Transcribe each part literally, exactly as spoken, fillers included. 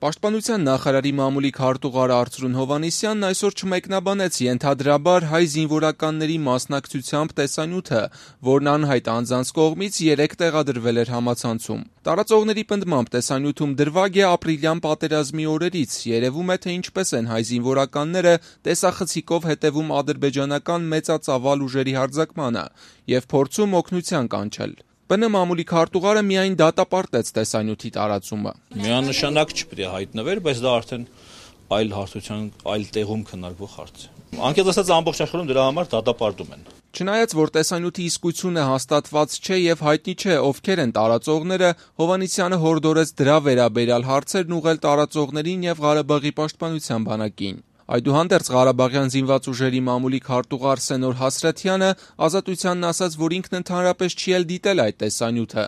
Պաշտպանության նախարարի մամուլի քարտուղար Արծրուն Հովհաննիսյանն այսօր չմեկնաբանեց ենթադրաբար հայ զինվորականների մասնակցությամբ տեսանյութը, որն անհայտ անձանց կողմից երեկ տեղադրվել էր համացանցում։ Տարածողների պնդմամբ տեսանյութում դրվագ է ապրիլյան պատերազմի օրերից, երևում է, թե ինչպես են հայ զինվորականները տեսախցիկով հետևում ադրբեջանական մեծածավալ ուժերի հարձակմանը և փորձում օգնության կանչել։ ՊՆ մամուլի քարտուղարը միայն դատապարտեց տեսանյութի տարածումը։ Միանշանակ չպետք է հայտնվեր, բայց դա արդեն այլ հարցության, այլ տեղում քննարկվող հարց է։ Անկեղծ ասած, ամբողջ աշխարհում դրա համար դատապարտում են։ Չնայած որ տեսանյութի իսկությունը հաստատված չէ եւ հայտնի չէ ովքեր են տարածողները, Հովհաննիսյանը հորդորեց դրա վերաբերյալ հարցերն ուղղել տարածողներին եւ Ղարաբաղի պաշտպանության բանակին։ Այդուհանդերձ Ղարաբաղյան զինված ուժերի մամուլի քարտուղար Սենոր Հասրաթյանը Ազատությանն ասաց, որ ինքն ընդհանրապես չի էլ դիտել այդ տեսանյութը,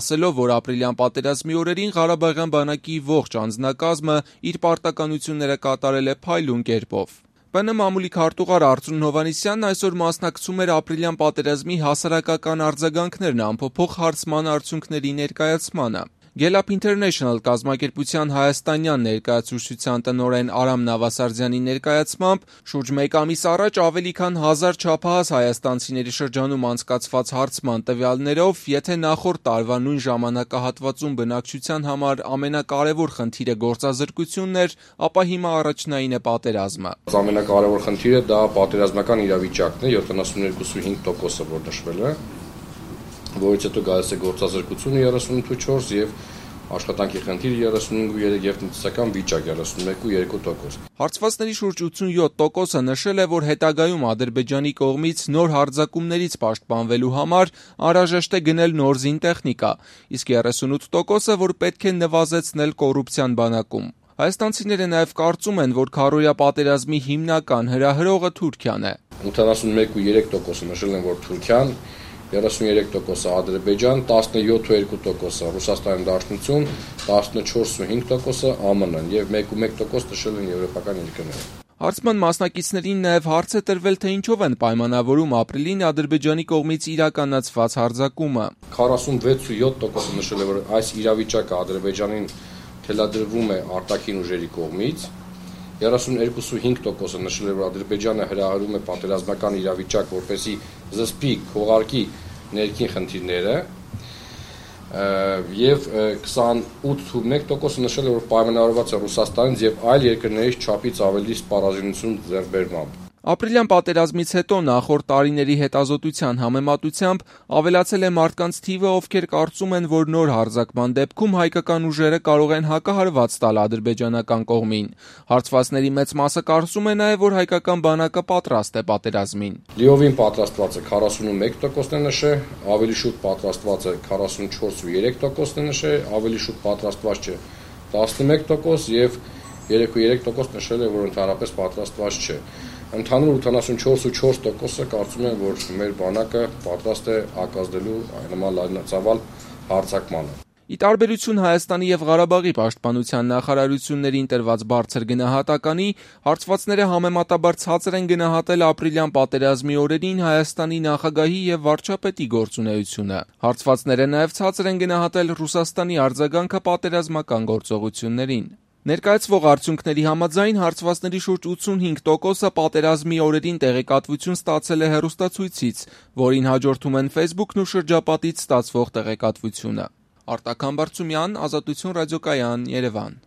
ասելով, որ ապրիլյան պատերազմի օրերին Ղարաբաղյան բանակի ողջ անձնակազմը իր պարտականությունները կատարել է փայլուն կերպով։ ՊՆ մամուլի քարտուղար Արծրուն Հովհաննիսյանն այսօր մասնակցում էր ապրիլյան պատերազմի հասարակական արձագանքներն ամփոփող հարցման արդյունքների ներկայացմանը։ Գելլափ Ինթերնեշնլ կազմակերպության հայաստանյան ներկայացուցչության տնօրեն Արամ Նավասարդյանի ներկայացմամբ շուրջ մեկ ամիս առաջ ավելի քան հազար չափահաս հայաստանցիների շրջանում անցկացված հարցման տվյալներով, եթե նախորդ տարվա նույն ժամանակահատվածում բնակչության համար ամենակարևոր խնդիրը գործազրկությունն էր, ապա հիմա առաջնային է պատերազմը։ Ամենակարևոր խնդիրը դա պատերազմական իրավիճակն է, յոթանասունյոթ կόμμα հինգ տոկոսը որ նշվել է, որից հետո գալիս է գործազրկությունը երեսունութ կόμma չորս եւ աշխատանքի խնդիրը երեսունհինգ կόμma երեք եւ տնտեսական վիճակ երեսունմեկ կόμma երկու տոկոս։ Հարցվածների շուրջ ութսունյոթ տոկոսը նշել է, որ հետագայում Ադրբեջանի կողմից նոր հարձակումներից պաշտպանվելու համար անհրաժեշտ է գնել նոր զինտեխնիկա, իսկ երեսունութ տոկոսը, որ պետք է նվազեցնել կոռուպցիան բանակում։ Հայաստանցիները նաև կարծում են, որ քառօրյա պատերազմի հիմնական հրահրողը Թուրքիան է։ ութանասունմեկ կόμma երեք տոկոսը նշել են, որ Թուրքիան, երեսուններեք տոկոսը Ադրբեջան, տասնյոթ կόμma երկու տոկոսը Ռուսաստանի Դաշնություն, տասնչորս կόμma հինգ տոկոսը ԱՄՆ-ն եւ մեկ կόμma մեկ տոկոս նշել են եվրոպական երկրները։ Հարցման մասնակիցներին նաև հարց է տրվել, թե ինչով են պայմանավորում ապրիլին Ադրբեջանի կողմից իրականացված հարձակումը։ քառասունվեց կόμma յոթ տոկոսը նշել է, որ այս իրավիճակը Ադրբեջանին թելադրվում է արտաքին ուժերի կողմից, երեսունհինգ կόμma հինգ տոկոսը նշել է, որ Ադրբեջանը հրահրում է պատերազմական իրավիճակ, որպեսզի զսպի, քողարկի ներքին խնդիրները, եւ քսանութ կόμma մեկ տոկոսը նշել է, որ պայմանավորված է Ռուսաստանից եւ այլ երկրներից չափից ավելի սպառազինություն ձեռքբերմամբ։ Ապրիլյան պատերազմից հետո նախորդ տարիների հետազոտության համեմատությամբ ավելացել է մարդկանց թիվը, ովքեր կարծում են, որ նոր հարձակման դեպքում հայկական ուժերը կարող են հակահարված տալ ադրբեջանական կողմին։ Հարցվածների մեծ մասը կարծում է նաև, որ հայկական բանակը պատրաստ է պատերազմին։ Լիովին պատրաստված է քառասունմեկ տոկոսն է նշել, ավելի շուտ պատրաստված է քառասունչորս կόμma երեք տոկոսն է նշել, ավելի շուտ պատրաստված չէ տասնմեկ տոկոս եւ երեք կόμma երեք տոկոս նշել է, որ ընդհանրապես պատրաստված չէ։ Ընդհանուր ութանասունչորս կόμma չորս տոկոսը կարծում են, որ մեր բանակը պատրաստ է հակազդելու նման լայնածավալ հարձակմանը։ Ի տարբերություն Հայաստանի եւ Ղարաբաղի պաշտպանության նախարարություններին տրված բարձր գնահատականի, հարցվածները համեմատաբար ցածր են գնահատել ապրիլյան պատերազմի օրերին Հայաստանի նախագահի եւ վարչապետի գործունեությունը։ Հարցվածները նաեւ ցածր են գնահատել Ռուսաստանի արձագանքը պատերազմական գործողություններին։ Ներկայացվող արդյունքների համաձայն հարցվածների շուրջ ութսունհինգ տոկոսը պատերազմի օրերին տեղեկատվություն ստացել է հեռուստացույցից, որին հաջորդում են Facebook-ն ու շրջապատից ստացվող տեղեկատվությունը։ Արտակ Համբարձումյան, Ազատություն ռադիոկայան, Երևան։